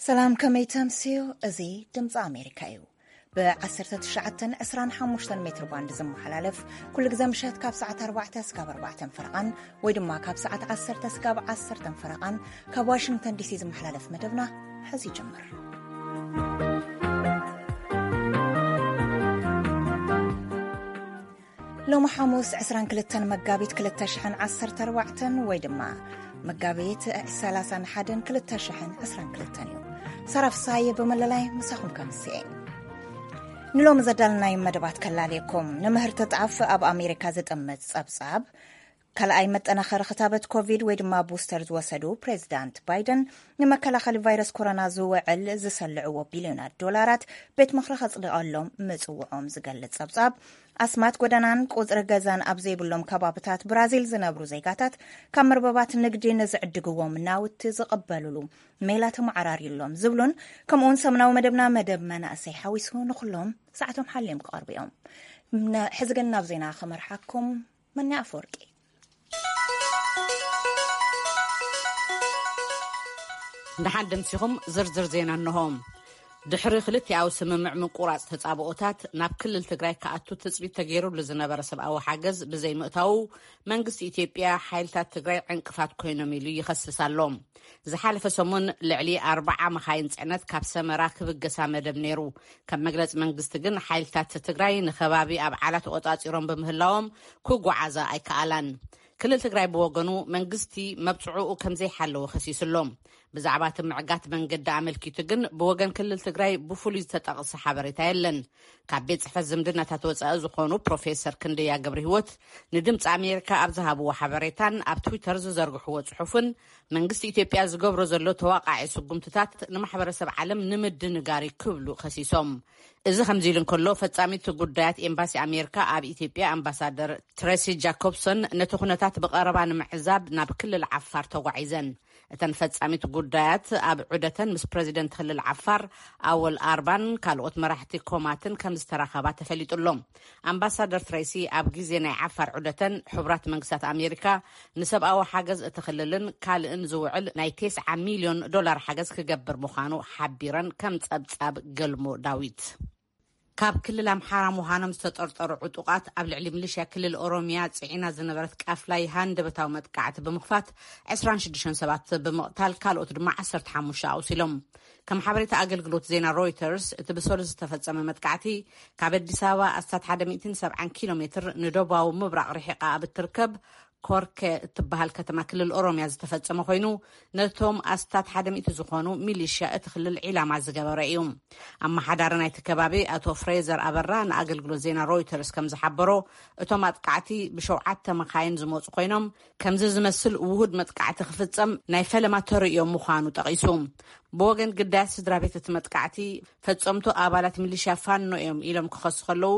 ሰላም፣ ከመይ ተምስዩ? እዚ ድምፂ ኣሜሪካ እዩ። ብ19፣ 25 ሜትር ባንድ ዝመሓላለፍ፣ ኩሉ ግዜ ምሸት ካብ ሰዓት ኣርባዕተ እስካብ ኣርባዕተን ፈረቓን፣ ወይ ድማ ካብ ሰዓት ዓሰርተ እስካብ ዓሰርተን ፈረቓን፣ ካብ ዋሽንግተን ዲሲ ዝመሓላለፍ መደብና ሕዚ ይጅምር። ሎሚ ሓሙስ ዕስራን ክልተን መጋቢት ክልተ ሽሕን ዓሰርተ ኣርባዕተን፣ ወይ ድማ መጋቢት ሰላሳን ሓደን ክልተ ሽሕን ዕስራን ክልተን እዩ። ሳራ ፍሳየ ብመለላይ ምሳኹም ከምስኤ። ንሎሚ ዘዳልናይ መደባት ከላልየኩም። ንምህርቲ ጣፍ ኣብ ኣሜሪካ ዝጥምት ጸብጻብ፣ ካልኣይ መጠናኸሪ ክታበት ኮቪድ ወይ ድማ ቡስተር ዝወሰዱ ፕሬዚዳንት ባይደን፣ ንመከላኸሊ ቫይረስ ኮሮና ዝውዕል ዝሰልዕዎ ቢልዮናት ዶላራት ቤት ምኽሪ ከጽድቐሎም ምጽውዖም ዝገልጽ ጸብጻብ፣ ኣስማት ጎደናን ቁጽሪ ገዛን ኣብ ዘይብሎም ከባብታት ብራዚል ዝነብሩ ዜጋታት ካብ መርበባት ንግዲ ንዝዕድግዎም ናውቲ ዝቕበሉሉ ሜላ ተመዓራርዩሎም ዝብሉን፣ ከምኡውን ሰሙናዊ መደብና መደብ መናእሰይ ሓዊሱ ንኹሎም ሰዓቶም ሓልዮም ክቐርቡ እዮም። ነ-፣ ሕዚ ግን ናብ ዜና ክመርሓኩም መኒ ኣፈወርቂ። ደሓን ደምሲኹም ዝርዝር ዜና እንሆ። ድሕሪ ክልቲኣዊ ስምምዕ ምቁራጽ ተጻብኦታት ናብ ክልል ትግራይ ክኣቱ ትጽቢት ተገይሩሉ ዝነበረ ሰብኣዊ ሓገዝ ብዘይምእታዉ መንግስቲ ኢትዮጵያ ሓይልታት ትግራይ ዕንቅፋት ኮይኖም ኢሉ ይኸስስ ኣሎ። ዝሓለፈ ሰሙን ልዕሊ ኣርባዓ መኻይን ጽዕነት ካብ ሰመራ ክብገሳ መደብ ነይሩ። ከም መግለጺ መንግስቲ ግን ሓይልታት ትግራይ ንከባቢ ኣብ ዓላ ተቆጻጺሮም ብምህላዎም ክጓዓዛ ኣይከኣላን። ክልል ትግራይ ብወገኑ መንግስቲ መብጽዑኡ ከም ዘይሓለወ ከሲሱ ኣሎ። ብዛዕባ እቲ ምዕጋት መንገዲ ኣመልኪቱ ግን ብወገን ክልል ትግራይ ብፍሉይ ዝተጠቕሰ ሓበሬታ የለን። ካብ ቤት ጽሕፈት ዝምድናታት ወጻኢ ዝኾኑ ፕሮፌሰር ክንደያ ገብረ ህይወት ንድምፂ ኣሜሪካ ኣብ ዝሃብዎ ሓበሬታን ኣብ ትዊተር ዝዘርግሕዎ ጽሑፍን፣ መንግስቲ ኢትዮጵያ ዝገብሮ ዘሎ ተዋቃዒ ስጉምትታት ንማሕበረሰብ ዓለም ንምድንጋር እዩ ክብሉ ከሲሶም። እዚ ከምዚ ኢሉ እንከሎ፣ ፈጻሚት ጉዳያት ኤምባሲ ኣሜሪካ ኣብ ኢትዮጵያ ኣምባሳደር ትሬሲ ጃኮብሰን ነቲ ኩነታት ብቐረባ ንምዕዛብ ናብ ክልል ዓፋር ተጓዒዘን። እተን ፈጻሚት ጉዳያት ኣብ ዑደተን ምስ ፕረዚደንት ክልል ዓፋር ኣወል ኣርባን ካልኦት መራሕቲ ኮማትን ከም ዝተራኸባ ተፈሊጡ ኣሎ። ኣምባሳደር ትሬሲ ኣብ ግዜ ናይ ዓፋር ዑደተን፣ ሕቡራት መንግስታት ኣሜሪካ ንሰብኣዊ ሓገዝ እቲ ክልልን ካልእን ዝውዕል ናይ ተስዓ ሚልዮን ዶላር ሓገዝ ክገብር ምዃኑ ሓቢረን፣ ከም ጸብጻብ ገልሞ ዳዊት። ካብ ክልል ኣምሓራ ምዃኖም ዝተጠርጠሩ ዕጡቓት ኣብ ልዕሊ ሚሊሽያ ክልል ኦሮሚያ ጽዒና ዝነበረት ቃፍላይ ሃንደበታዊ መጥቃዕቲ ብምኽፋት ዕስራን ሽዱሽተን ሰባት ብምቕታል ካልኦት ድማ ዓሰርተ ሓሙሽተ ኣቑሲሎም። ከም ሓበሬታ ኣገልግሎት ዜና ሮይተርስ፣ እቲ ብሰሉስ ዝተፈጸመ መጥቃዕቲ ካብ ኣዲስ ኣበባ ኣስታት ሓደ ሚእትን ሰብዓን ኪሎ ሜትር ንደቡባዊ ምብራቕ ርሒቓ ኣብ እትርከብ ኮርኬ እትበሃል ከተማ ክልል ኦሮሚያ ዝተፈጸመ ኮይኑ፣ ነቶም ኣስታት ሓደ ሚእቲ ዝኾኑ ሚሊሽያ እቲ ክልል ዒላማ ዝገበረ እዩ። ኣመሓዳሪ ናይቲ ከባቢ ኣቶ ፍሬዘር ኣበራ ንኣገልግሎት ዜና ሮይተርስ ከም ዝሓበሮ፣ እቶም ኣጥቃዕቲ ብሸውዓተ መኻይን ዝመጹ ኮይኖም፣ ከምዚ ዝመስል ውሁድ መጥቃዕቲ ክፍጸም ናይ ፈለማ ተርእዮ ምዃኑ ጠቒሱ። ብወገን ግዳያት ስድራ ቤት እቲ መጥቃዕቲ፣ ፈጸምቱ ኣባላት ሚሊሽያ ፋኖ እዮም ኢሎም ክኸሱ ከለዉ፣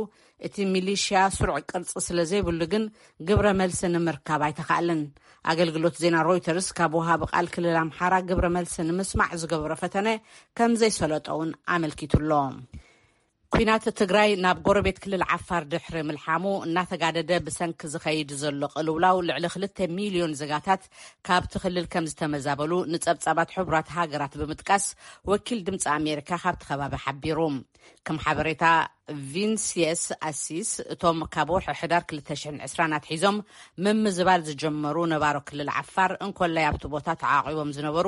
እቲ ሚሊሽያ ስሩዕ ቅርጺ ስለ ዘይብሉ ግን ግብረ መልሲ ንምርካብ ኣይተኻእለን። ኣገልግሎት ዜና ሮይተርስ ካብ ወሃቢ ቃል ክልል ኣምሓራ ግብረ መልሲ ንምስማዕ ዝገበሮ ፈተነ ከም ዘይሰለጦ እውን ኣመልኪቱ ኣሎ። ኲናት ትግራይ ናብ ጎረቤት ክልል ዓፋር ድሕሪ ምልሓሙ፣ እናተጋደደ ብሰንኪ ዝኸይድ ዘሎ ቅልውላው፣ ልዕሊ ክልተ ሚልዮን ዜጋታት ካብቲ ክልል ከም ዝተመዛበሉ ንጸብጻባት ሕቡራት ሃገራት ብምጥቃስ፣ ወኪል ድምጺ ኣሜሪካ ካብቲ ከባቢ ሓቢሩ። ከም ሓበሬታ ቪንሲየስ ኣሲስ፣ እቶም ካብ ወርሒ ሕዳር ክልተ ሽሕን ዕስራን ኣትሒዞም ምምዝባል ዝጀመሩ ነባሮ ክልል ዓፋር፣ እንኮላይ ኣብቲ ቦታ ተዓቂቦም ዝነበሩ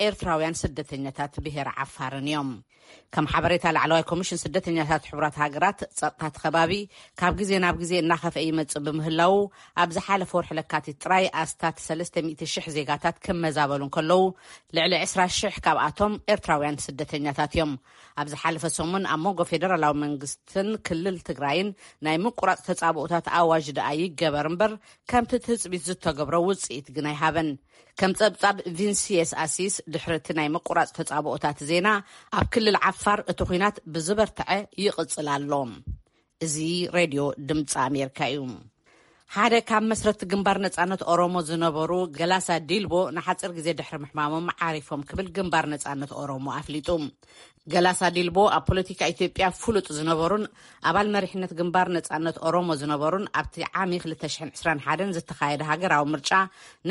ኤርትራውያን ስደተኛታት ብሄር ዓፋርን እዮም። ከም ሓበሬታ ላዕለዋይ ኮሚሽን ስደተኛታት ሕቡራት ሃገራት፣ ጸጥታ እቲ ከባቢ ካብ ግዜ ናብ ግዜ እናኸፍአ ይመጽእ ብምህላዉ፣ ኣብ ዝሓለፈ ወርሒ ለካቲት ጥራይ ኣስታት ሰለስተ ሚእቲ ሽሕ ዜጋታት ክመዛበሉ እንከለዉ፣ ልዕሊ ዕስራ ሽሕ ካብኣቶም ኤርትራውያን ስደተኛታት እዮም። ኣብ ዝሓለፈ ሰሙን ኣብ መንጎ ፌደራላዊ መንግስትን ክልል ትግራይን ናይ ምቁራጽ ተጻብኦታት ኣዋጅ ደኣ ይገበር እምበር፣ ከምቲ ትጽቢት ዝተገብሮ ውጽኢት ግን ኣይሃበን። ከም ጸብጻብ ቪንሲየስ ኣሲስ፣ ድሕሪ እቲ ናይ ምቁራጽ ተጻብኦታት ዜና፣ ኣብ ክልል ዓፋር እቲ ኲናት ብዝበርትዐ ይቕጽል ኣሎ። እዚ ሬድዮ ድምጺ ኣሜሪካ እዩ። ሓደ ካብ መስረቲ ግንባር ነጻነት ኦሮሞ ዝነበሩ ገላሳ ዲልቦ ንሓጺር ግዜ ድሕሪ ምሕማሞም ዓሪፎም ክብል ግንባር ነጻነት ኦሮሞ ኣፍሊጡ። ገላሳ ዲልቦ ኣብ ፖለቲካ ኢትዮጵያ ፍሉጥ ዝነበሩን ኣባል መሪሕነት ግንባር ነጻነት ኦሮሞ ዝነበሩን ኣብቲ ዓሚ ክልተ ሽሕን ዕስራን ሓደን ዝተኻየደ ሃገራዊ ምርጫ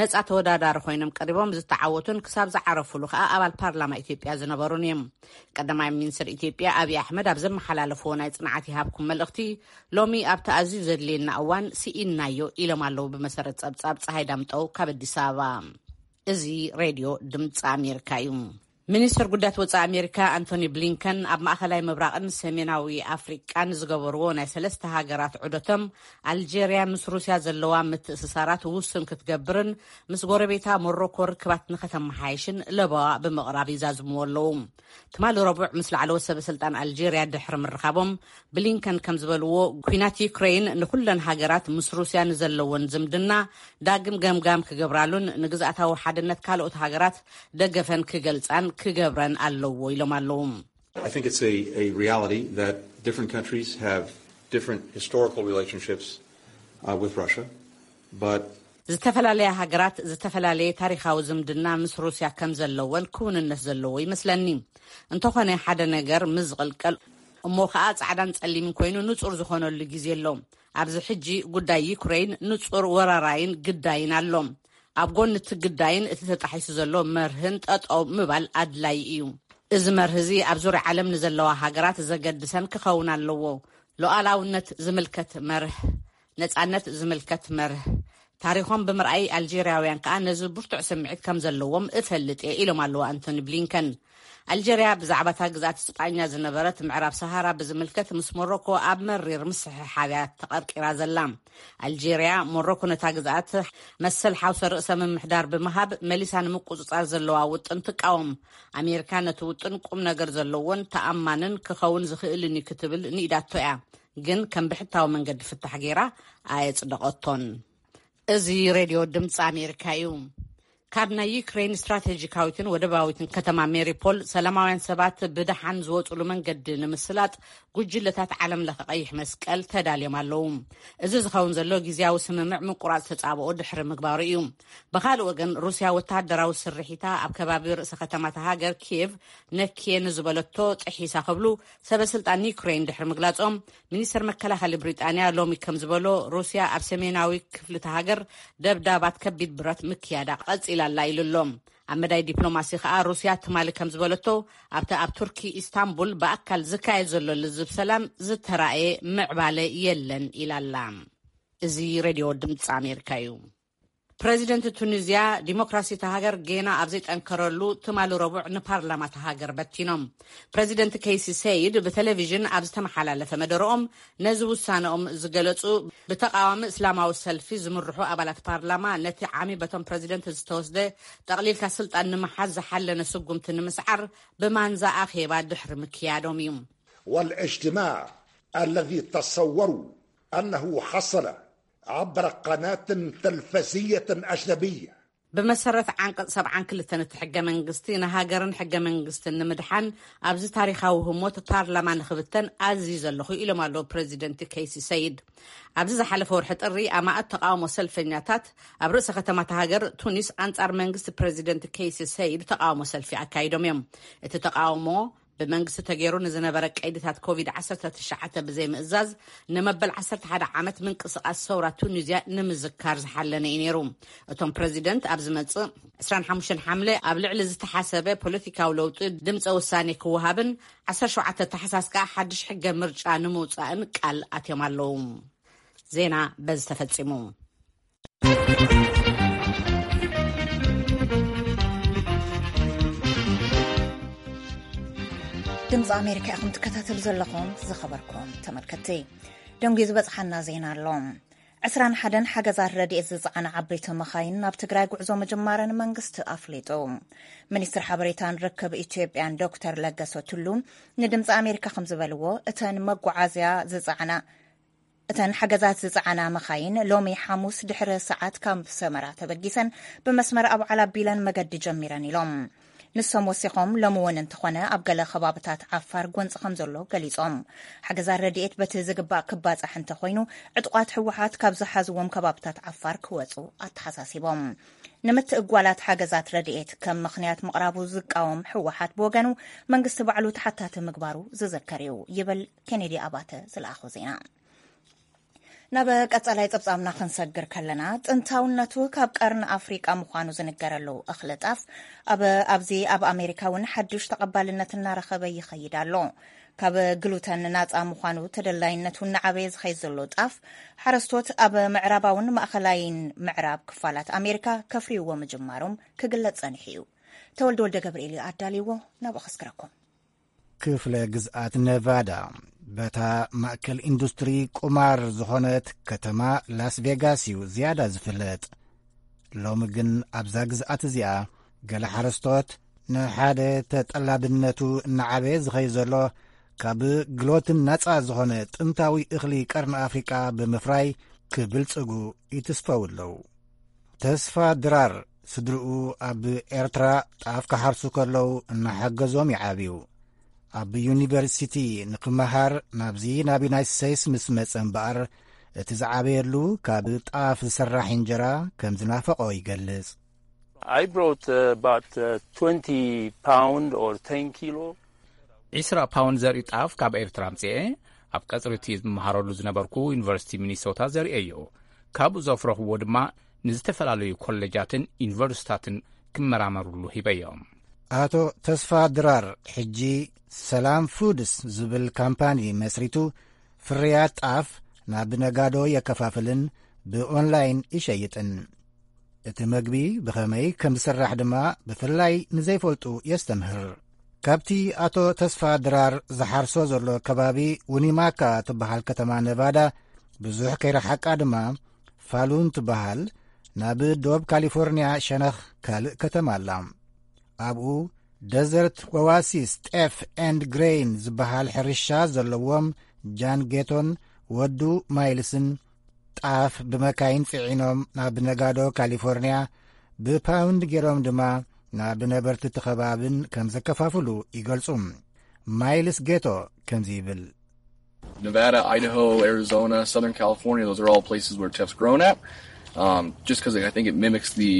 ነጻ ተወዳዳሪ ኮይኖም ቀሪቦም ዝተዓወቱን ክሳብ ዝዓረፉሉ ከኣ ኣባል ፓርላማ ኢትዮጵያ ዝነበሩን እዮም። ቀዳማይ ሚኒስትር ኢትዮጵያ ኣብይ ኣሕመድ ኣብ ዘመሓላለፍዎ ናይ ጽንዓት ይሃብኩም መልእኽቲ፣ ሎሚ ኣብቲ ኣዝዩ ዘድልየና እዋን ስኢንናዮ ኢሎም ኣለዉ። ብመሰረት ጸብጻብ ጸሃይ ዳምጠው ካብ ኣዲስ ኣበባ። እዚ ሬድዮ ድምፂ ኣሜሪካ እዩ። ሚኒስትር ጉዳያት ወፃኢ ኣሜሪካ ኣንቶኒ ብሊንከን ኣብ ማእኸላይ ምብራቕን ሰሜናዊ ኣፍሪቃን ዝገበርዎ ናይ ሰለስተ ሃገራት ዑደቶም፣ ኣልጄርያ ምስ ሩስያ ዘለዋ ምትእስሳራት ውሱን ክትገብርን ምስ ጎረቤታ ሞሮኮ ርክባት ንኸተመሓየሽን ለበዋ ብምቕራብ ይዛዝምዎ ኣለዉ። ትማሊ ረቡዕ ምስ ላዕለዎት ሰበ ስልጣን ኣልጄርያ ድሕሪ ምርኻቦም፣ ብሊንከን ከም ዝበልዎ፣ ኲናት ዩክሬን ንኩለን ሃገራት ምስ ሩስያ ንዘለወን ዝምድና ዳግም ገምጋም ክገብራሉን ንግዝኣታዊ ሓድነት ካልኦት ሃገራት ደገፈን ክገልጻን ክገብረን ኣለዎ ኢሎም ኣለዉ። I think it's a, a reality that different countries have different historical relationships uh, with Russia, but ዝተፈላለያ ሃገራት ዝተፈላለየ ታሪኻዊ ዝምድና ምስ ሩስያ ከም ዘለወን ክውንነት ዘለዎ ይመስለኒ። እንተኾነ ሓደ ነገር ምስ ዝቕልቀል እሞ ኸኣ ጻዕዳን ጸሊምን ኮይኑ ንጹር ዝኾነሉ ግዜ ኣሎ። ኣብዚ ሕጂ ጉዳይ ዩክሬን ንጹር ወራራይን ግዳይን ኣሎ። ኣብ ጎኒ እቲ ግዳይን እቲ ተጣሒሱ ዘሎ መርህን ጠጠው ምባል ኣድላይ እዩ። እዚ መርህ እዚ ኣብ ዙርያ ዓለም ንዘለዋ ሃገራት ዘገድሰን ክኸውን ኣለዎ። ሉዓላውነት ዝምልከት መርህ፣ ነጻነት ዝምልከት መርህ፣ ታሪኾም ብምርኣይ ኣልጄርያውያን ከኣ ነዚ ብርቱዕ ስምዒት ከም ዘለዎም እፈልጥ እየ ኢሎም ኣለዉ ኣንቶኒ ብሊንከን። ኣልጀርያ ብዛዕባ እታ ግዝኣት ስጳኛ ዝነበረት ምዕራብ ሰሃራ ብዝምልከት ምስ ሞሮኮ ኣብ መሪር ምስሕሓብያ ተቐርቂራ ዘላ። ኣልጀርያ፣ ሞሮኮ ነታ ግዝኣት መሰል ሓውሰ ርእሰ ምምሕዳር ብምሃብ መሊሳ ንምቁጽጻር ዘለዋ ውጥን ትቃወም። ኣሜሪካ ነቲ ውጥን ቁም ነገር ዘለዎን ተኣማንን ክኸውን ዝኽእልን እዩ ክትብል ንኢዳቶ እያ። ግን ከም ብሕታዊ መንገዲ ፍታሕ ገይራ ኣየጽደቐቶን። እዚ ሬድዮ ድምፂ ኣሜሪካ እዩ። ካብ ናይ ዩክሬን ስትራቴጂካዊትን ወደባዊትን ከተማ ሜሪፖል ሰላማውያን ሰባት ብደሓን ዝወፅሉ መንገዲ ንምስላጥ ጉጅለታት ዓለም ለኸ ቀይሕ መስቀል ተዳልዮም ኣለዉ። እዚ ዝኸውን ዘሎ ግዜያዊ ስምምዕ ምቁራፅ ተፃብኦ ድሕሪ ምግባሩ እዩ። ብኻልእ ወገን ሩስያ ወታደራዊ ስርሒታ ኣብ ከባቢ ርእሰ ከተማታ ሃገር ኪየቭ ነክየ ንዝበለቶ ጥሒሳ ክብሉ ሰበ ስልጣን ዩክሬን ድሕሪ ምግላፆም፣ ሚኒስትር መከላኸሊ ብሪጣንያ ሎሚ ከም ዝበሎ፣ ሩስያ ኣብ ሰሜናዊ ክፍሊ እታ ሃገር ደብዳባት ከቢድ ብረት ምክያዳ ቀጺላ ኣላ ኢሉ ኣሎ። ኣብ መዳይ ዲፕሎማሲ ከኣ ሩስያ ትማሊ ከም ዝበለቶ፣ ኣብቲ ኣብ ቱርኪ ኢስታንቡል ብኣካል ዝካየድ ዘሎ ልዝብ ሰላም ዝተራእየ ምዕባለ የለን ኢላ ኣላ። እዚ ሬድዮ ድምፂ ኣሜሪካ እዩ። ፕረዚደንት ቱኒዝያ ዲሞክራሲ እታ ሃገር ጌና ኣብ ዘይጠንከረሉ ትማሊ ረቡዕ ንፓርላማ እታ ሃገር በቲኖም። ፕረዚደንት ከይሲ ሰይድ ብቴሌቪዥን ኣብ ዝተመሓላለፈ መደረኦም ነዚ ውሳነኦም ዝገለጹ ብተቃዋሚ እስላማዊ ሰልፊ ዝምርሑ ኣባላት ፓርላማ ነቲ ዓሚ በቶም ፕረዚደንት ዝተወስደ ጠቕሊልካ ስልጣን ንምሓዝ ዝሓለነ ስጉምቲ ንምስዓር ብማንዛ ኣኼባ ድሕሪ ምክያዶም እዩ። والاجتماع الذي تصوروا أنه حصل عبر قناة تلفزية أجنبية. ብመሰረት ዓንቀጽ ሰብዓን ክልተን እቲ ሕገ መንግስቲ፣ ንሃገርን ሕገ መንግስትን ንምድሓን ኣብዚ ታሪኻዊ ህሞት ፓርላማ ንኽብተን ኣዝዩ ዘለኹ ኢሎም ኣለዉ ፕረዚደንት ከይሲ ሰይድ። ኣብዚ ዝሓለፈ ወርሒ ጥሪ ኣማእት ተቃውሞ ሰልፈኛታት ኣብ ርእሰ ከተማታ ሃገር ቱኒስ ኣንጻር መንግስቲ ፕረዚደንት ከይሲ ሰይድ ተቃውሞ ሰልፊ ኣካይዶም እዮም። እቲ ተቃውሞ ብመንግስቲ ተገይሩ ንዝነበረ ቀይድታት ኮቪድ ዓሰርተ ትሽዓተ ብዘይምእዛዝ፣ ንመበል ዓሰርተ ሓደ ዓመት ምንቅስቃስ ሰውራ ቱኒዝያ ንምዝካር ዝሓለነ እዩ ነይሩ። እቶም ፕረዚደንት ኣብ ዝመጽእ ዕስራን ሓሙሽተን ሓምለ ኣብ ልዕሊ ዝተሓሰበ ፖለቲካዊ ለውጢ ድምፀ ውሳኔ ክወሃብን ዓሰርተ ሸውዓተ ታሕሳስ ከዓ ሓድሽ ሕገ ምርጫ ንምውፃእን ቃል ኣትዮም ኣለዉ። ዜና በዚ ተፈጺሙ። ድምፂ ኣሜሪካ ኢኹም ትከታተሉ ዘለኹም። ዝኸበርኩም ተመልከትቲ፣ ደንጉዩ ዝበፅሓና ዜና ኣሎ። ዕስራን ሓደን ሓገዛት ረድኤት ዝፀዓና ዓበይቲ መኻይን ናብ ትግራይ ጉዕዞ ምጅማረን መንግስቲ ኣፍሊጡ። ሚኒስትር ሓበሬታን ርክብ ኢትዮጵያን ዶክተር ለገሰ ቱሉ ንድምፂ ኣሜሪካ ከም ዝበልዎ፣ እተን መጓዓዝያ ዝፀዓና እተን ሓገዛት ዝጸዓና መኻይን ሎሚ ሓሙስ ድሕሪ ሰዓት ካብ ሰመራ ተበጊሰን ብመስመር ኣውዓል ኣቢለን መገዲ ጀሚረን ኢሎም። ንሶም ወሲኾም፣ ሎሚ እውን እንተኾነ ኣብ ገለ ከባብታት ዓፋር ጎንፂ ከም ዘሎ ገሊፆም። ሓገዛት ረድኤት በቲ ዝግባእ ክባፃሕ እንተኾይኑ፣ ዕጡቓት ህወሓት ካብ ዝሓዝዎም ከባብታት ዓፋር ክወፁ ኣተሓሳሲቦም። ንምትእጓላት ሓገዛት ረድኤት ከም ምኽንያት ምቕራቡ ዝቃወም ህወሓት ብወገኑ፣ መንግስቲ ባዕሉ ተሓታቲ ምግባሩ ዝዝከር እዩ ይብል። ኬኔዲ ኣባተ ዝለኣኾ ዜና። ናብ ቀጻላይ ጸብጻብና ክንሰግር ከለና፣ ጥንታውነቱ ካብ ቀርኒ ኣፍሪቃ ምዃኑ ዝንገረሉ እኽሊ ጣፍ፣ ኣብ፣ ኣብዚ ኣብ ኣሜሪካ እውን ሓድሽ ተቐባልነት እናረኸበ ይኸይድ ኣሎ። ካብ ግሉተን ናጻ ምዃኑ ተደላይነቱ እናዓበየ ዝኸይድ ዘሎ ጣፍ፣ ሓረስቶት ኣብ ምዕራባውን ማእኸላይን ምዕራብ ክፋላት ኣሜሪካ ከፍርይዎ ምጅማሮም ክግለጽ ጸኒሑ እዩ። ተወልደ ወልደ ገብርኤል እዩ ኣዳልይዎ፣ ናብኡ ከስግረኩም። ክፍለ ግዝኣት ነቫዳ፣ በታ ማእከል ኢንዱስትሪ ቁማር ዝኾነት ከተማ ላስ ቬጋስ እዩ ዝያዳ ዝፍለጥ። ሎሚ ግን ኣብዛ ግዝኣት እዚኣ፣ ገለ ሓረስቶት ንሓደ ተጠላብነቱ እናዓበየ ዝኸይድ ዘሎ፣ ካብ ግሎትን ናጻ ዝኾነ ጥንታዊ እኽሊ ቀርኒ ኣፍሪቃ ብምፍራይ ክብልጽጉ ይትስፈው ኣለዉ። ተስፋ ድራር፣ ስድርኡ ኣብ ኤርትራ ጣፍ ክሓርሱ ከለዉ እናሓገዞም ይዓብዩ። ኣብ ዩኒቨርሲቲ ንክመሃር ናብዚ ናብ ዩናይትድ ስቴትስ ምስ መጸ እምበኣር፣ እቲ ዝዓበየሉ ካብ ጣፍ ዝስራሕ እንጀራ ከም ዝናፈቖ ይገልጽ። I brought, uh, about, uh, twenty pound or ten kilo. ዒስራ ፓውንድ ዘርኢ ጣፍ ካብ ኤርትራ ኣምጽኤ፣ ኣብ ቀጽሪ እቲ ዝመሃረሉ ዝነበርኩ ዩኒቨርሲቲ ሚኒሶታ ዘርእየዮ። ካብኡ ዘፍረኽዎ ድማ ንዝተፈላለዩ ኮሌጃትን ዩኒቨርሲታትን ክመራመሩሉ ሂበዮም። ኣቶ ተስፋ ድራር ሕጂ ሰላም ፉድስ ዝብል ካምፓኒ መስሪቱ፣ ፍርያት ጣፍ ናብ ነጋዶ የከፋፍልን ብኦንላይን ይሸይጥን። እቲ መግቢ ብኸመይ ከም ዝስራሕ ድማ ብፍላይ ንዘይፈልጡ የስተምህር። ካብቲ ኣቶ ተስፋ ድራር ዝሓርሶ ዘሎ ከባቢ፣ ዊኒማካ ትበሃል ከተማ ነቫዳ ብዙሕ ከይረሓቃ ድማ፣ ፋሉን ትበሃል ናብ ዶብ ካሊፎርንያ ሸነኽ ካልእ ከተማ ኣላ። ኣብኡ ደዘርት ኦዋሲስ ጤፍ ኤንድ ግሬይን ዝበሃል ሕርሻ ዘለዎም ጃን ጌቶን ወዱ ማይልስን፣ ጣፍ ብመካይን ጽዒኖም ናብ ነጋዶ ካሊፎርንያ፣ ብፓውንድ ገይሮም ድማ ናብ ነበርቲ እቲ ከባብን ከም ዘከፋፍሉ ይገልጹ። ማይልስ ጌቶ ከምዚ ይብል። Nevada, Idaho, Arizona, Southern California, those are all places where teft's grown at. Um, just 'cause I think it mimics the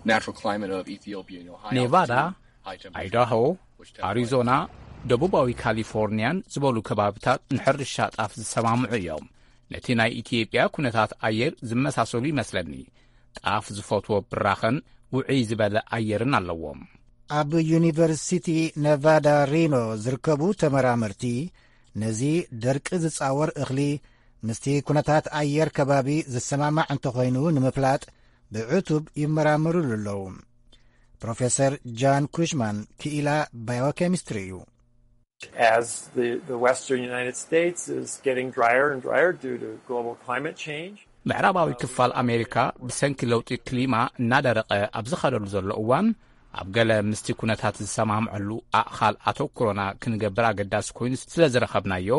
natural climate of Ethiopia, you know, high ኔቫዳ፣ altitude, high temperatures, ኣይዳሆ፣ which teft አሪዞና፣ ደቡባዊ ካሊፎርኒያን ዝበሉ ከባብታት ንሕርሻ ጣፍ ዝሰማምዑ እዮም። ነቲ ናይ ኢትዮጵያ ኩነታት ኣየር ዝመሳሰሉ ይመስለኒ። ጣፍ ዝፈትዎ ብራኸን ውዑይ ዝበለ ኣየርን ኣለዎም። ኣብ ዩኒቨርሲቲ ነቫዳ ሪኖ ዝርከቡ ተመራመርቲ፣ ነዚ ደርቂ ዝጻወር እኽሊ ምስቲ ኩነታት ኣየር ከባቢ ዝሰማማዕ እንተኾይኑ ንምፍላጥ ብዕቱብ ይመራመሩሉ ኣለዉ። ፕሮፌሰር ጃን ኩሽማን ክኢላ ባዮኬሚስትሪ እዩ። As the, the western United States is getting drier and drier due to global climate change, ምዕራባዊ ክፋል ኣሜሪካ ብሰንኪ ለውጢ ክሊማ እናደረቐ ኣብ ዝኸደሉ ዘሎ እዋን፣ ኣብ ገለ ምስቲ ኩነታት ዝሰማምዐሉ ኣእኻል ኣተኩሮና ክንገብር ኣገዳሲ ኮይኑ ስለ ዝረኸብናዮ፣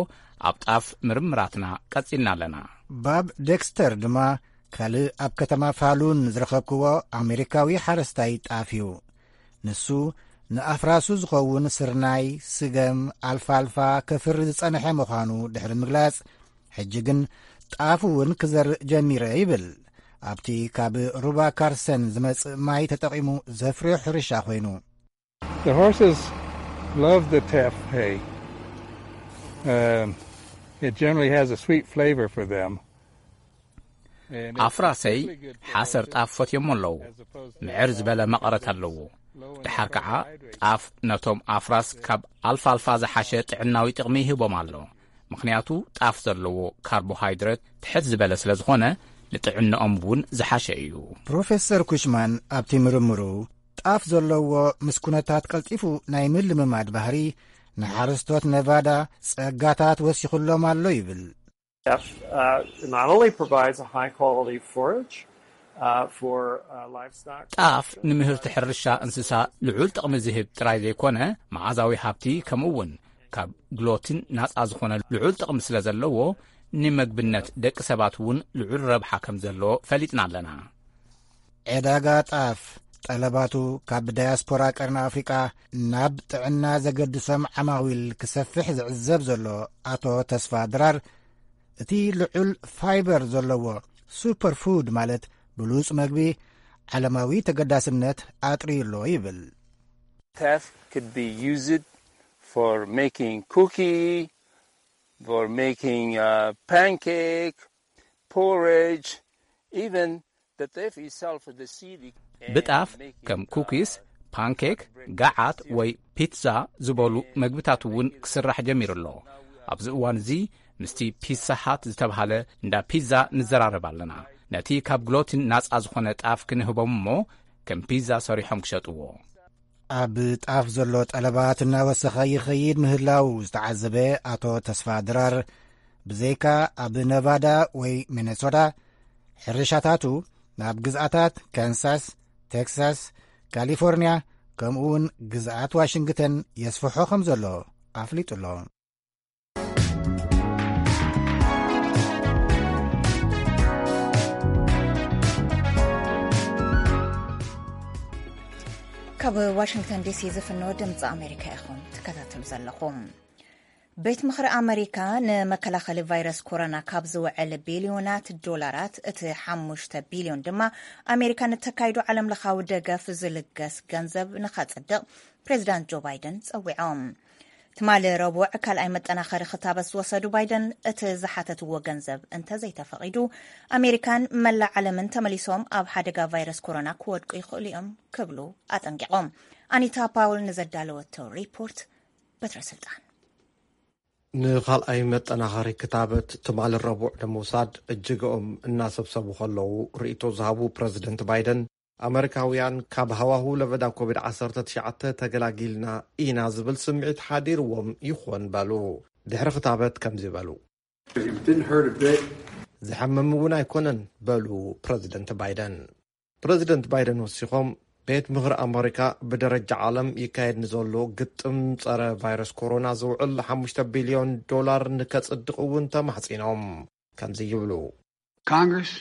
ኣብ ጣፍ ምርምራትና ቀጺልና ኣለና። ባብ ዴክስተር ድማ ካልእ ኣብ ከተማ ፋሉን ዝረኸብክዎ ኣሜሪካዊ ሓረስታይ ጣፍ እዩ። ንሱ ንኣፍራሱ ዝኸውን ስርናይ፣ ስገም፣ ኣልፋልፋ ከፍሪ ዝጸንሐ ምዃኑ ድሕሪ ምግላጽ፣ ሕጂ ግን ጣፍ እውን ክዘርእ ጀሚረ ይብል። ኣብቲ ካብ ሩባ ካርሰን ዝመጽእ ማይ ተጠቒሙ ዘፍርዮ ሕርሻ ኮይኑ። The horses love the teff hay. Um, it generally has a sweet flavor for them. And it's ኣፍራሰይ ሓሰር ጣፍ ፈትዮሞ ኣለዉ። ምዕር ዝበለ መቐረት ኣለዎ። ደሓር ከዓ ጣፍ ነቶም ኣፍራስ ካብ ኣልፋልፋ ዝሓሸ ጥዕናዊ ጥቕሚ ይህቦም ኣሎ። ምኽንያቱ ጣፍ ዘለዎ ካርቦሃይድረት ትሕት ዝበለ ስለ ዝኾነ፣ ንጥዕናኦም እውን ዝሓሸ እዩ። ፕሮፌሰር ኩሽማን ኣብቲ ምርምሩ፣ ጣፍ ዘለዎ ምስ ኩነታት ቀልጢፉ ናይ ምልምማድ ባህሪ ንሓረስቶት ነቫዳ ጸጋታት ወሲኹሎም ኣሎ ይብል። Teff, uh, not only provides a high quality forage, uh, for, uh, livestock, ጣፍ ንምህርቲ ሕርሻ እንስሳ ልዑል ጥቕሚ ዝህብ ጥራይ ዘይኮነ፣ መዓዛዊ ሃብቲ ከምኡ እውን ካብ ግሎቲን ናጻ ዝኾነ ልዑል ጥቕሚ ስለ ዘለዎ፣ ንመግብነት ደቂ ሰባት እውን ልዑል ረብሓ ከም ዘለዎ ፈሊጥና ኣለና። ዕዳጋ ጣፍ ጠለባቱ ካብ ዳያስፖራ ቀርኒ ኣፍሪቃ ናብ ጥዕና ዘገድሶም ዓማዊል ክሰፍሕ ዝዕዘብ ዘሎ ኣቶ ተስፋ ድራር፣ እቲ ልዑል ፋይበር ዘለዎ ሱፐር ፉድ ማለት ብሉጽ መግቢ ዓለማዊ ተገዳስነት ኣጥርዩ ኣሎ ይብል። Teff could be used for making cookie, for making uh, pancake, porridge, even the teff itself, the seed. ብጣፍ ከም ኩኪስ፣ ፓንኬክ፣ ገዓት ወይ ፒትዛ ዝበሉ መግብታት እውን ክስራሕ ጀሚሩ ኣሎ። ኣብዚ እዋን እዚ ምስቲ ፒዛ ሃት ዝተብሃለ እንዳ ፒዛ ንዘራረብ ኣለና። ነቲ ካብ ግሎቲን ናጻ ዝኾነ ጣፍ ክንህቦም እሞ ከም ፒዛ ሰሪሖም ክሸጥዎ። ኣብ ጣፍ ዘሎ ጠለባት እናወሰኸ ይኸይድ ምህላው ዝተዓዘበ ኣቶ ተስፋ ድራር፣ ብዘይካ ኣብ ነቫዳ ወይ ሚነሶታ፣ ሕርሻታቱ ናብ ግዝኣታት ካንሳስ፣ ቴክሳስ፣ ካሊፎርኒያ፣ ከምኡ እውን ግዝኣት ዋሽንግተን የስፍሖ ከም ዘሎ ኣፍሊጡ ኣሎ። ካብ ዋሽንግተን ዲሲ ዝፍኖ ድምፂ ኣሜሪካ ኢኹም ትከታተሉ ዘለኹም። ቤት ምኽሪ ኣመሪካ ንመከላኸሊ ቫይረስ ኮሮና ካብ ዝውዕል ቢልዮናት ዶላራት እቲ ሓሙሽተ ቢልዮን ድማ ኣሜሪካ ንተካይዶ ዓለም ለኻዊ ደገፍ ዝልገስ ገንዘብ ንኸፅድቕ ፕሬዚዳንት ጆ ባይደን ፀዊዖም። ትማሊ ረቡዕ ካልኣይ መጠናኸሪ ክታበት ዝወሰዱ ባይደን፣ እቲ ዝሓተትዎ ገንዘብ እንተዘይተፈቒዱ ኣሜሪካን መላእ ዓለምን ተመሊሶም ኣብ ሓደጋ ቫይረስ ኮሮና ክወድቁ ይኽእሉ እዮም ክብሉ ኣጠንቂቖም። ኣኒታ ፓውል ንዘዳለወቶ ሪፖርት በትረ ስልጣን። ንኻልኣይ መጠናኸሪ ክታበት ትማሊ ረቡዕ ንምውሳድ እጅግኦም እናሰብሰቡ ከለዉ ርእይቶ ዝሃቡ ፕረዚደንት ባይደን፣ ኣመሪካውያን ካብ ሃዋሁ ለበዳ ኮቪድ ዓሰርተ ትሽዓተ ተገላጊልና ኢና ዝብል ስምዒት ሓዲርዎም ይኾን በሉ። ድሕሪ ክታበት ከምዚ በሉ። ዝሐምም እውን ኣይኮነን በሉ ፕረዚደንት ባይደን። ፕረዚደንት ባይደን ወሲኾም፣ ቤት ምኽሪ ኣመሪካ ብደረጃ ዓለም ይካየድ ንዘሎ ግጥም ጸረ ቫይረስ ኮሮና ዝውዕል ሓሙሽተ ቢልዮን ዶላር ንከጽድቕ እውን ተማሕጺኖም። ከምዚ ይብሉ። Congress,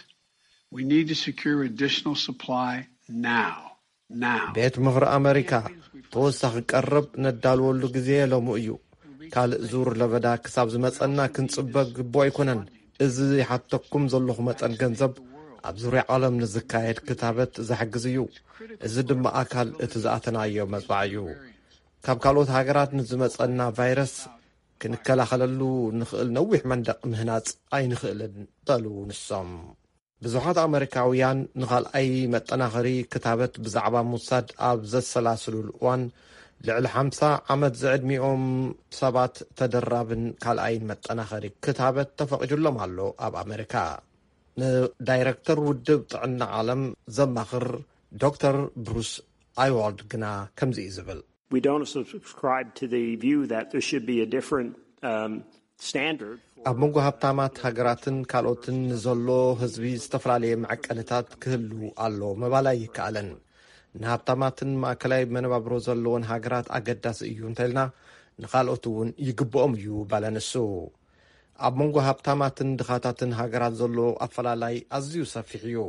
we need to secure additional supply now. Now. ቤት ምኽሪ ኣመሪካ፣ ተወሳኺ ቀረብ ነዳልወሉ ግዜ ሎሚ እዩ። ካልእ ዙር ለበዳ ክሳብ ዝመጸና ክንጽበ ግቡእ ኣይኮነን። እዚ ይሓተኩም ዘለኹ መጠን ገንዘብ ኣብ ዙርያ ዓለም ንዝካየድ ክታበት ዝሕግዝ እዩ። እዚ ድማ ኣካል እቲ ዝኣተናዮ መጽዋዕ እዩ። ካብ ካልኦት ሃገራት ንዝመጸና ቫይረስ ክንከላኸለሉ ንኽእል ነዊሕ መንደቕ ምህናጽ ኣይንኽእልን በሉ ንሶም። ብዙሓት ኣመሪካውያን ንኻልኣይ መጠናኸሪ ክታበት ብዛዕባ ምውሳድ ኣብ ዘሰላስሉሉ እዋን፣ ልዕሊ ሓምሳ ዓመት ዝዕድሚኦም ሰባት ተደራብን ካልኣይን መጠናኸሪ ክታበት ተፈቒዱሎም ኣሎ ኣብ ኣመሪካ። ንዳይረክተር ውድብ ጥዕና ዓለም ዘማኽር ዶክተር ብሩስ ኣይዋልድ ግና ከምዚ እዩ ዝብል። We don't subscribe to the view that there should be a different um, standard. ኣብ መንጎ ሃብታማት ሃገራትን ካልኦትን ንዘሎ ህዝቢ ዝተፈላለየ መዐቀንታት ክህሉ ኣሎ ምባል ኣይከኣልን። ንሃብታማትን ማእከላይ መነባብሮ ዘለዎን ሃገራት ኣገዳሲ እዩ እንተልና፣ ንኻልኦት እውን ይግብኦም እዩ በለ ንሱ። ኣብ መንጎ ሃብታማትን ድኻታትን ሃገራት ዘሎ ኣፈላላይ ኣዝዩ ሰፊሕ እዩ።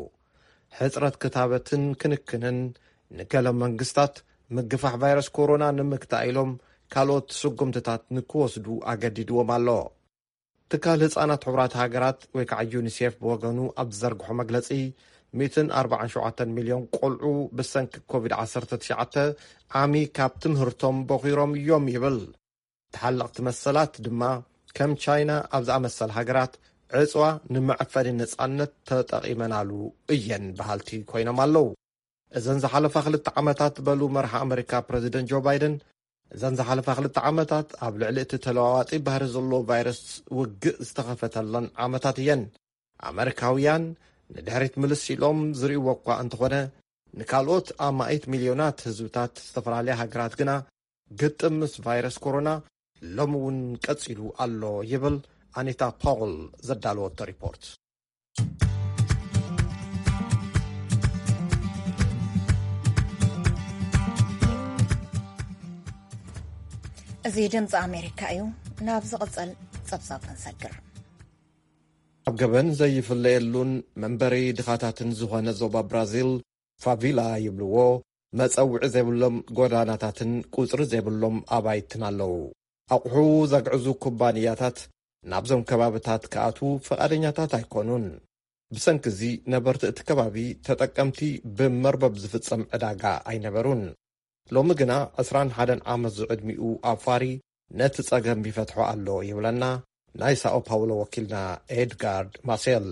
ሕጽረት ክታበትን ክንክንን፣ ንገለ መንግስታት ምግፋሕ ቫይረስ ኮሮና ንምግታእ ኢሎም ካልኦት ስጉምትታት ንክወስዱ ኣገዲድዎም ኣሎ። ትካል ህጻናት ሕቡራት ሃገራት ወይ ከዓ ዩኒሴፍ ብወገኑ ኣብ ዝዘርግሖ መግለጺ፣ ሚእትን ኣርባዓን ሸውዓተን ሚልዮን ቆልዑ ብሰንኪ ኮቪድ ዓሰርተ ትሽዓተ ዓሚ ካብ ትምህርቶም ቦኺሮም እዮም ይብል። ተሓለቕቲ መሰላት ድማ ከም ቻይና ኣብ ዝኣመሰል ሃገራት ዕጽዋ ንመዐፈኒ ነጻነት ተጠቒመናሉ እየን በሃልቲ ኮይኖም ኣለዉ። እዘን ዝሓለፋ ክልተ ዓመታት በሉ መርሓ ኣመሪካ ፕረዚደንት ጆ ባይደን፣ እዘን ዝሓለፋ ክልተ ዓመታት ኣብ ልዕሊ እቲ ተለዋዋጢ ባህሪ ዘለዎ ቫይረስ ውግእ ዝተኸፈተለን ዓመታት እየን። ኣመሪካውያን ንድሕሪት ምልስ ኢሎም ዝርእይዎ እኳ እንተኾነ፣ ንካልኦት ኣማኢት ሚልዮናት ህዝብታት ዝተፈላለያ ሃገራት ግና ግጥም ምስ ቫይረስ ኮሮና ሎሚ እውን ቀጺሉ ኣሎ ይብል ኣኒታ ፓውል ዘዳለወቶ ሪፖርት። እዚ ድምፂ ኣሜሪካ እዩ። ናብ ዝቕፅል ፀብፃብ ክንሰግር። ኣብ ገበን ዘይፍለየሉን መንበሪ ድኻታትን ዝኾነ ዞባ ብራዚል፣ ፋቪላ ይብልዎ፣ መጸውዒ ዘይብሎም ጎዳናታትን ቁጽሪ ዘይብሎም ኣባይትን ኣለዉ። ኣቑሑ ዘግዕዙ ኩባንያታት ናብዞም ከባብታት ክኣትዉ ፍቓደኛታት ኣይኮኑን። ብሰንኪ እዚ ነበርቲ እቲ ከባቢ ተጠቀምቲ ብመርበብ ዝፍጸም ዕዳጋ ኣይነበሩን። ሎሚ ግና ዕስራን ሓደን ዓመት ዝዕድሚኡ ኣፋሪ ነቲ ጸገም ይፈትሖ ኣሎ ይብለና ናይ ሳኦ ፓውሎ ወኪልና ኤድጋርድ ማሴል።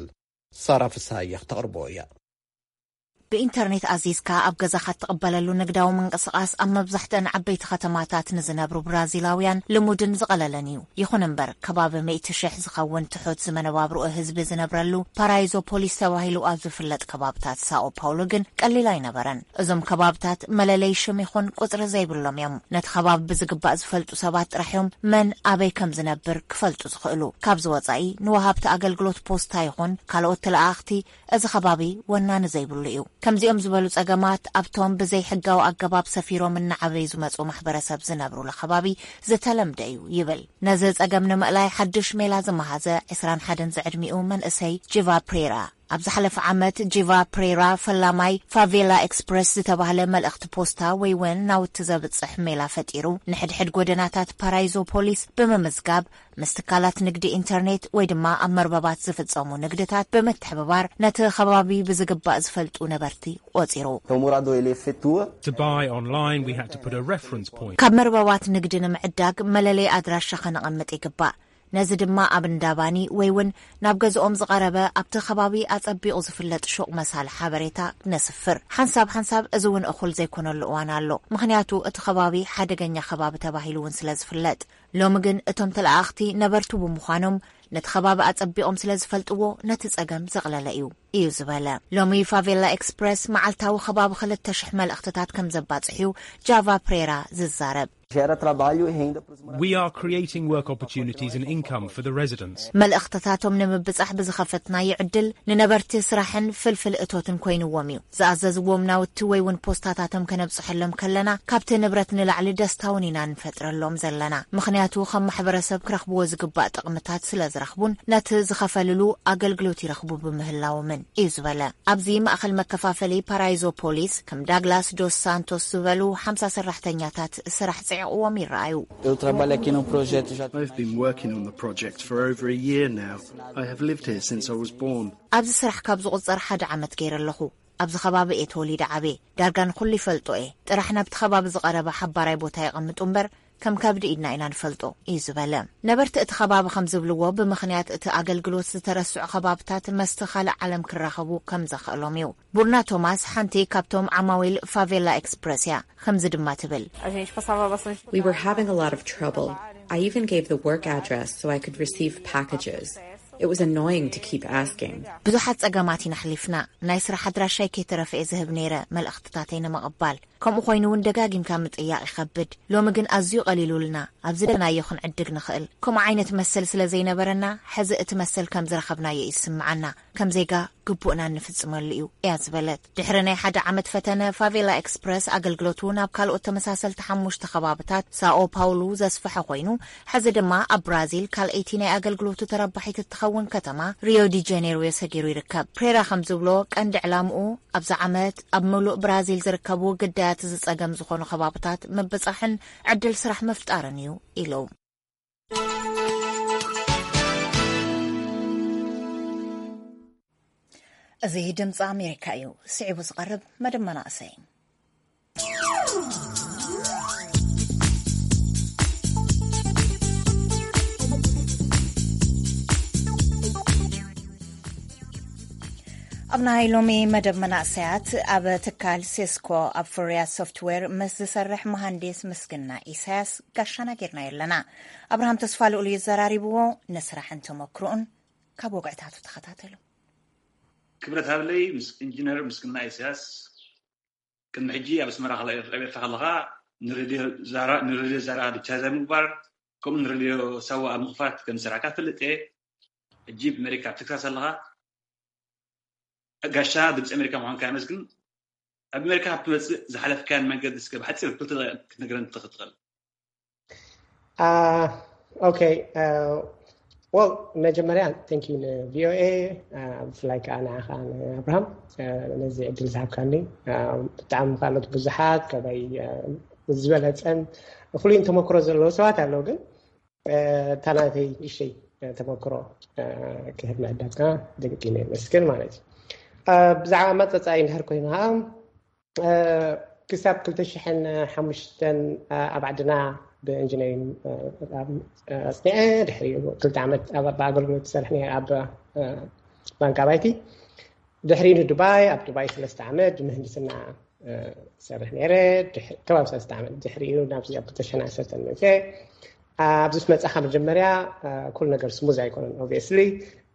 ሳራ ፍስሃየ ክተቕርቦ እያ። ብኢንተርኔት ኣዚዝካ ኣብ ገዛኻ እትቕበለሉ ንግዳዊ ምንቅስቓስ ኣብ መብዛሕትአን ዓበይቲ ከተማታት ንዝነብሩ ብራዚላውያን ልሙድን ዝቐለለን እዩ። ይኹን እምበር፣ ከባቢ ሚእቲ ሽሕ ዝኸውን ትሑት ዝመነባብሮኡ ህዝቢ ዝነብረሉ ፓራይዞፖሊስ ተባሂሉ ኣብ ዝፍለጥ ከባብታት ሳኦ ፓውሎ ግን ቀሊል ኣይነበረን። እዞም ከባብታት መለለይ ሽም ይኹን ቁጽሪ ዘይብሎም እዮም። ነቲ ከባቢ ብዝግባእ ዝፈልጡ ሰባት ጥራሕ እዮም መን ኣበይ ከም ዝነብር ክፈልጡ ዝኽእሉ። ካብዚ ወጻኢ ንወሃብቲ ኣገልግሎት ፖስታ ይኹን ካልኦት ተለኣኣኽቲ እዚ ከባቢ ወናኒ ዘይብሉ እዩ። ከምዚኦም ዝበሉ ጸገማት ኣብቶም ብዘይ ሕጋዊ ኣገባብ ሰፊሮም እናዓበዩ ዝመጹ ማሕበረሰብ ዝነብሩሉ ከባቢ ዝተለምደ እዩ ይብል። ነዚ ጸገም ንምእላይ ሓድሽ ሜላ ዝመሃዘ ዕስራን ሓደን ዝዕድሚኡ መንእሰይ ጂቫ ፕሬራ። ኣብ ዝሓለፈ ዓመት ጂቫ ፕሬራ ፈላማይ ፋቬላ ኤክስፕረስ ዝተባህለ መልእኽቲ ፖስታ ወይ እውን ናውቲ ዘብጽሕ ሜላ ፈጢሩ ንሕድሕድ ጎደናታት ፓራይዞ ፖሊስ ብምምዝጋብ ምስ ትካላት ንግዲ ኢንተርኔት ወይ ድማ ኣብ መርበባት ዝፍጸሙ ንግድታት ብምትሕብባር ነቲ ከባቢ ብዝግባእ ዝፈልጡ ነበርቲ ቆጺሩ። Então o morador ele efetua To buy online, we had to put a reference point. ካብ መርበባት ንግዲ ንምዕዳግ መለለይ ኣድራሻ ከነቐምጥ ይግባእ። ነዚ ድማ ኣብ እንዳባኒ ወይ እውን ናብ ገዝኦም ዝቐረበ ኣብቲ ከባቢ ኣጸቢቑ ዝፍለጥ ሹቕ መሳሊ ሓበሬታ ነስፍር። ሓንሳብ ሓንሳብ እዚ እውን እኹል ዘይኮነሉ እዋን ኣሎ። ምኽንያቱ እቲ ከባቢ ሓደገኛ ከባቢ ተባሂሉ እውን ስለ ዝፍለጥ። ሎሚ ግን እቶም ተለኣኣኽቲ ነበርቱ ብምዃኖም ነቲ ከባቢ ኣጸቢቖም ስለ ዝፈልጥዎ ነቲ ጸገም ዘቕለለ እዩ እዩ ዝበለ። ሎሚ ፋቬላ ኤክስፕረስ መዓልታዊ ከባቢ ክልተ ሽሕ መልእኽትታት ከም ዘባጽሕዩ ጃቫ ፕሬራ ዝዛረብ። Gera trabalho e renda para os moradores. We are creating work opportunities and income for the residents. መልእኽትታቶም ንምብጻሕ ብዝኸፈትናዮ ዕድል ንነበርቲ ስራሕን ፍልፍል እቶትን ኮይንዎም እዩ። ዝኣዘዝዎም ናውቲ ወይ እውን ፖስታታቶም ከነብጽሐሎም ከለና ካብቲ ንብረት ንላዕሊ ደስታውን ኢና ንፈጥረሎም ዘለና። ምኽንያቱ ከም ማሕበረሰብ ክረኽብዎ ዝግባእ ጥቕምታት ስለ ዝረኽቡን ነቲ ዝኸፈልሉ ኣገልግሎት ይረኽቡ ብምህላዎምን እዩ ዝበለ። ኣብዚ ማእኸል መከፋፈሊ ፓራይዞ ፖሊስ ከም ዳግላስ ዶስ ሳንቶስ ዝበሉ ሓምሳ ሰራሕተኛታት ስራሕ ጽዒቕዎም ይረኣዩ። Eu trabalho aqui no projeto já I've been working on the project for over a year now. I have lived here since I was born. ኣብዚ ስራሕ ካብ ዝቑጸር ሓደ ዓመት ገይረ ኣለኹ። ኣብዚ ከባቢ እየ ተወሊደ ዓብየ። ዳርጋ ንኹሉ ይፈልጦ እየ። ጥራሕ ናብቲ ከባቢ ዝቐረበ ሓባራይ ቦታ የቐምጡ እምበር ከም ከብዲ ኢድና ኢና ንፈልጦ እዩ ዝበለ። ነበርቲ እቲ ከባቢ ከም ዝብልዎ ብምኽንያት እቲ ኣገልግሎት ዝተረስዑ ከባብታት መስቲ ካልእ ዓለም ክራኸቡ ከም ዘኽእሎም እዩ። ቡርና ቶማስ ሓንቲ ካብቶም ዓማዊል ፋቬላ ኤክስፕረስ እያ። ከምዚ ድማ ትብል። We were having a lot of trouble. I even gave the work address so I could receive packages. It was annoying to keep asking. ብዙሓት ጸገማት ኢና ኣሕሊፍና። ናይ ስራሕ ኣድራሻይ ከይተረፈ እየ ዝህብ ነይረ መልእኽትታተይ ንምቕባል። ከምኡ ኮይኑ እውን ደጋጊምካ ምጥያቕ ይኸብድ። ሎሚ ግን ኣዝዩ ቀሊሉልና። ኣብ ዝደለናዮ ክንዕድግ ንኽእል። ከምኡ ዓይነት መሰል ስለ ዘይነበረና ሕዚ እቲ መሰል ከም ዝረኸብናዮ እዩ ዝስምዓና። ከም ዜጋ ግቡእና እንፍጽመሉ እዩ እያ ዝበለት። ድሕሪ ናይ ሓደ ዓመት ፈተነ ፋቬላ ኤክስፕረስ ኣገልግሎቱ ናብ ካልኦት ተመሳሰልቲ ሓሙሽተ ከባብታት ሳኦ ፓውሉ ዘስፍሐ ኮይኑ ሕዚ ድማ ኣብ ብራዚል ካልኣይቲ ናይ ኣገልግሎቱ ተረባሒት እትኸውን ከተማ ሪዮ ዲ ጀኔርዮ ሰጊሩ ይርከብ። ፕሬራ ከም ዝብሎ ቀንዲ ዕላምኡ ኣብዚ ዓመት ኣብ ምሉእ ብራዚል ዝርከቡ ግዳያት ዝጸገም ዝኾኑ ከባብታት ምብጻሕን ዕድል ስራሕ ምፍጣርን እዩ ኢሉ። እዚ ድምፂ ኣሜሪካ እዩ። ስዒቡ ዝቐርብ መደብ መናእሰይ። ኣብ ናይ ሎሚ መደብ መናእሰያት ኣብ ትካል ሴስኮ ኣብ ፍርያት ሶፍትዌር ምስ ዝሰርሕ መሃንዲስ ምስግና ኢሳያስ ጋሻና ጌርናዮ ኣለና። ኣብርሃም ተስፋ ልኡል እዩ ዘራሪብዎ። ንስራሕን ተመክሮኡን ካብ ወግዕታቱ ተኸታተሉ። ክብረት ሃብለይ ምስ ኢንጂነር ምስግና ኢሳያስ። ቅድሚ ሕጂ ኣብ ኣስመራ ኣብ ኤርትራ ከለኻ ንሬድዮ ዛራ ንሬድዮ ዛራ ዲጂታይዝ ኣብ ምግባር ከምኡ ንሬድዮ ሳዋ ኣብ ምኽፋት ከም ዝሰራሕካ እፈልጥ እየ። ሕጂ ብመሪካ ኣብ ቴክሳስ ኣለኻ። ጋሻ ድምፂ ኣሜሪካ ምዃንካ የመስግን። ኣብ ኣሜሪካ ካብ ትመፅእ ዝሓለፍካያን መንገዲ እስከ ብሓፂር ክልተ ደቂቕ ክትነግረኒ ትኽእል? Uh, okay. Uh, Well, መጀመርያ thank you ን ቪኦኤ፣ ብፍላይ ከዓ ንዓኻ ንኣብርሃም ነዚ ዕድል ዝሃብካኒ። ብጣዕሚ ካልኦት ብዙሓት ካባይ ዝበለፀን ፍሉይን ተመክሮ ዘለዎ ሰባት ኣለዉ፣ ግን እታ ናተይ እሽተይ ተመክሮ ክህብ ምዕዳምካ ደቂነ የመስግን ማለት እዩ። ብዛዕባ መፀፃይ እንድሕር ኮይና ከዓ ክሳብ ክልተ ሽሕን ሓሙሽተን ኣብ ዓድና ብኢንጂነሪንግ ኣፅኒዐ፣ ድሕሪኡ ክልተ ዓመት ኣብ ኣገልግሎት ዝሰርሕ ነይረ ኣብ ባንክ ኣባይቲ። ድሕሪኡ ንዱባይ፣ ኣብ ዱባይ ሰለስተ ዓመት ብምህንድስና ሰርሕ ነይረ። ከባቢ ሰለስተ ዓመት ድሕሪኡ ናብዚ ኣብ ክልተ ሽሕን ዓሰርተን መፅአ። ኣብዚ ምስ መፃኻ መጀመርያ ኩሉ ነገር ስሙዝ ኣይኮነን። ኦብቪየስሊ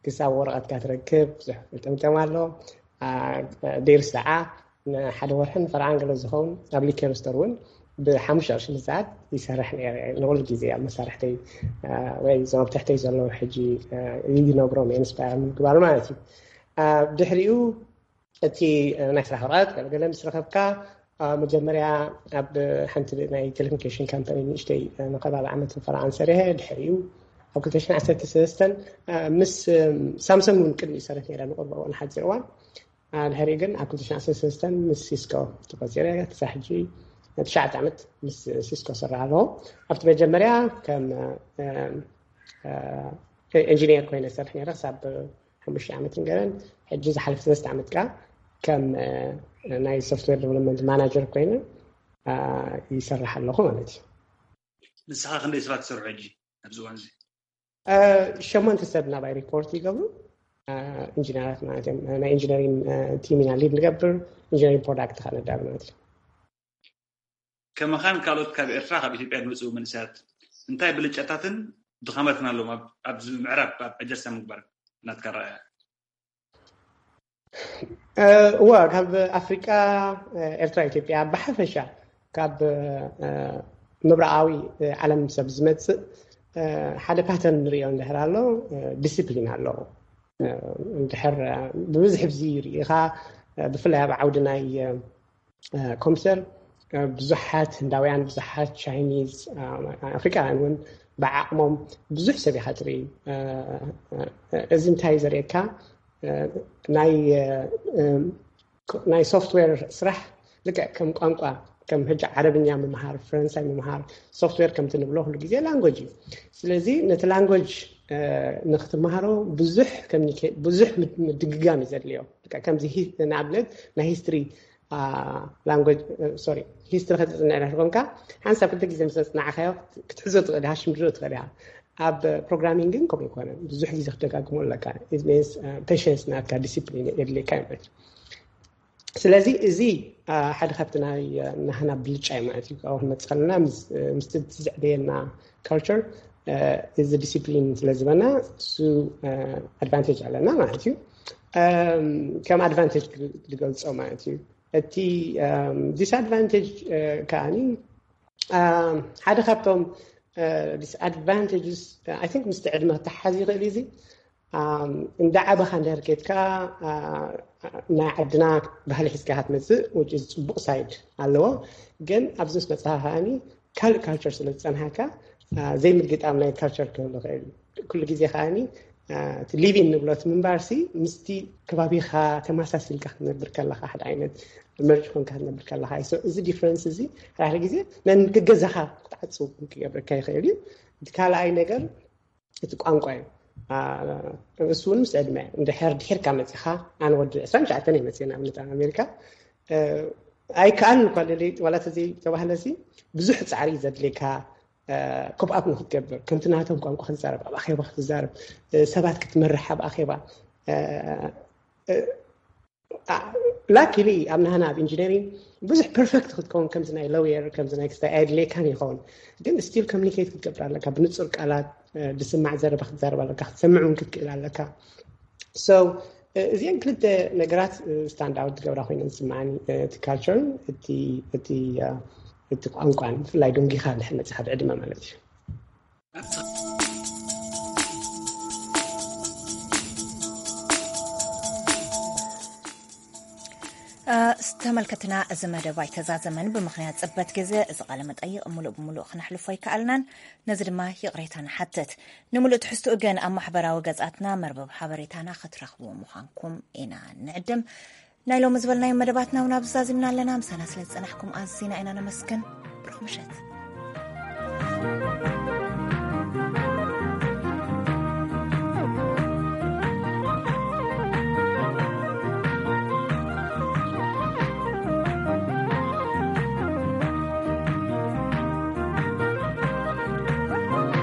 ክሳብ ወረቐትካ ትረክብ ብዙሕ ጥምጥም ኣሎ። ዴርስ ደዓ ንሓደ ወርሕን ፈርዓን ገለ ዝኸውን ኣብ ሊኬር ስቶር እውን ብሓሙሽተ ቅርሺ ንሰዓት ይሰርሕ ነይረ። ንኩሉ ግዜ ኣብ መሳርሕተይ ወይ እዞም ኣብ ትሕተይ ዘለዉ ሕጂ ይነግሮም ኢንስፓየር ምግባር ማለት እዩ። ድሕሪኡ እቲ ናይ ስራሕ ወረቐት ገለገለ ምስ ረኸብካ መጀመርያ ኣብ ሓንቲ ናይ ቴሌኮሙኒኬሽን ካምፓኒ ንእሽተይ ንከባቢ ዓመት ፈርዓን ሰሪሐ። ድሕሪኡ ኣብ ክልተ ሽሕን ዓሰርተ ሰለስተን ምስ ሳምሰንግ እውን ቅድሚ ይሰርሕ ነይረ ንቁርበ እዋን ሓፂር እዋን። ድሕሪኡ ግን ኣብ ክልተ ሽሕን ዓሰርተ ሰለስተን ምስ ሲስኮ ተቆፂረ። ክሳብ ሕጂ ትሽዓተ ዓመት ምስ ሲስኮ ሰራሕ ኣለኹ። ኣብቲ መጀመርያ ከም ኢንጂኒየር ኮይነ ሰርሕ ነይረ ክሳብ ሓሙሽተ ዓመት ንገረን። ሕጂ ዝሓለፈ ሰለስተ ዓመት ከዓ ከም ናይ ሶፍትዌር ዴቨሎፕመንት ማናጀር ኮይነ ይሰርሕ ኣለኹ ማለት እዩ። ንስኻ ክንደይ ሰባት ትሰርሑ ሕጂ ኣብዚ እዋን እዚ? ሸሞንተ ሰብ ናባይ ሪፖርት ይገብሩ። ኢንጂነራት ማለት እዮም። ናይ ኢንጂነሪንግ ቲም ኢና ሊድ ንገብር፣ ኢንጂነሪንግ ፕሮዳክት ከዓ ነዳሉ ማለት እዩ። ከመኻን ካልኦት ካብ ኤርትራ ካብ ኢትዮጵያ ዝመፅኡ መንእሰያት እንታይ ብልጫታትን ድኻመትን ኣለዎም ኣብዚ ምዕራብ ኣብ ኣጀስታ ምግባር ናትካ ረኣያ? እዋ ካብ ኣፍሪቃ ኤርትራ ኢትዮጵያ ብሓፈሻ ካብ ምብራቃዊ ዓለም ሰብ ዝመፅእ ሓደ ፓተርን ንሪኦ እንድሕር ኣሎ ዲስፕሊን ኣሎ። እንድሕር ብብዝሒ ብዚ ርኢኻ ብፍላይ ኣብ ዓውዲ ናይ ኮምፒተር ብዙሓት ህንዳውያን፣ ብዙሓት ቻይኒዝ፣ ኣፍሪቃውያን እውን ብዓቕሞም ብዙሕ ሰብ ኢኻ ትርኢ። እዚ እንታይ ዘርእየካ ናይ ናይ ሶፍትዌር ስራሕ ልክዕ ከም ቋንቋ ከም ሕጂ ዓረብኛ ምምሃር፣ ፈረንሳይ ምምሃር፣ ሶፍትዌር ከምቲ ንብሎ ኩሉ ግዜ ላንጎጅ እዩ። ስለዚ ነቲ ላንጎጅ ንክትመሃሮ ብዙሕ ብዙሕ ምድግጋም እዩ ዘድልዮ። ከምዚ ንኣብነት ናይ ሂስትሪ ላንጎጅ ሶሪ ሂስትሪ ከተፅንዕ ዳሕር ኮንካ ሓንሳብ ክልተ ግዜ ምስ ኣፅናዕካዮ ክትሕዞ ትኽእል ኢኻ፣ ሽምድዶ ትኽእል ኢኻ። ኣብ ፕሮግራሚንግ ግን ከምኡ ኣይኮነን። ብዙሕ ግዜ ክትደጋግሞ ኣለካ። ፔሽንስ ናትካ ዲሲፕሊን የድልየካ እዩ ማለት እዩ። ስለዚ እዚ ሓደ ካብቲ ናይ ናህና ብልጫ እዩ ማለት እዩ። ካብኡ ክንመፅእ ከለና ምስቲ ዝዕበየና ካልቸር እዚ ዲሲፕሊን ስለ ዝበና እሱ ኣድቫንቴጅ ኣለና ማለት እዩ። ከም ኣድቫንቴጅ ዝገልፆ ማለት እዩ። እቲ ዲስኣድቫንቴጅ ከዓኒ ሓደ ካብቶም ዲስኣድቫንቴጅስ ኣይ ቲንክ ምስቲ ዕድመ ክተሓዝ ይኽእል እዩ። እዚ እንዳዓበኻ እንድሕር ኬድካ ናይ ዓድና ባህሊ ሒዝካ ክትመፅእ ውጭ ፅቡቕ ሳይድ ኣለዎ። ግን ኣብዚ ምስ መፅኻ ከዓኒ ካልእ ካልቸር ስለ ዝፀንሓካ ዘይምግጣም ናይ ካልቸር ክህሉ ይኽእል እዩ። ኩሉ ግዜ ከዓኒ እቲ ሊቪን ንብሎ እቲ ምንባርሲ ምስቲ ከባቢኻ ተመሳሲልካ ክትነብር ከለኻ ሓደ ዓይነት መርጅ ኮንካ ክትነብር ከለኻ እዩ። እዚ ዲፍረንስ እዚ ሓደ ግዜ ነንክገዛኻ ክትዓፅው ክገብረካ ይኽእል እዩ። እቲ ካልኣይ ነገር እቲ ቋንቋ እዩ። እሱ እውን ምስ ዕድመ እንድሕር ድሒርካ መፂኻ ኣነ ወዲ ዕስራን ትሽዓተን እየ መፅእ ንኣብነት ኣብ ኣሜሪካ ኣይከኣልን እኳ ዋላ ተዘይተባህለ ሲ ብዙሕ ፃዕሪ እዩ ዘድልየካ ኮፕኣፕ ንክትገብር ከምቲ ናቶም ቋንቋ ክትዛረብ ኣብ ኣኼባ ክትዛረብ ሰባት ክትመርሕ ኣብ ኣኼባ ላኪሊ ኣብ ናህና ኣብ ኢንጂነሪንግ ብዙሕ ፐርፌክት ክትከውን ከምዚ ናይ ሎየር ከምዚ ናይ ክስታይ ኣየድልየካን ይኸውን ግን ስቲል ኮሚኒኬት ክትገብር ኣለካ ብንፁር ቃላት ዝስማዕ ዘረባ ክትዛረብ ኣለካ ክትሰምዕ እውን ክትክእል ኣለካ እዚአን ክልተ ነገራት ስታንድ ኣውት ዝገብራ ኮይነን ዝስማዓኒ እቲ ካልቸርን እቲ ቋንቋን ብፍላይ ደንጊኻ ድሕር መፅኻ ብዕድመ ማለት እዩ ተመልከትና፣ እዚ መደብ ኣይተዛዘመን። ብምኽንያት ጽበት ግዜ እዚ ቃለ መጠይቕ ምሉእ ብምሉእ ክነሕልፎ ኣይከኣልናን። ነዚ ድማ ይቕሬታ ንሓትት። ንምሉእ ትሕዝትኡ ግን ኣብ ማሕበራዊ ገጻትና፣ መርበብ ሓበሬታና ክትረኽብዎ ምዃንኩም ኢና ንዕድም። ናይ ሎሚ ዝበልናዮ መደባትና እውን ኣብዚ ዛዚምና ኣለና። ምሳና ስለ ዝጸናሕኩም ኣዚና ኢና ነመስግን። ብሩኽ ምሸት።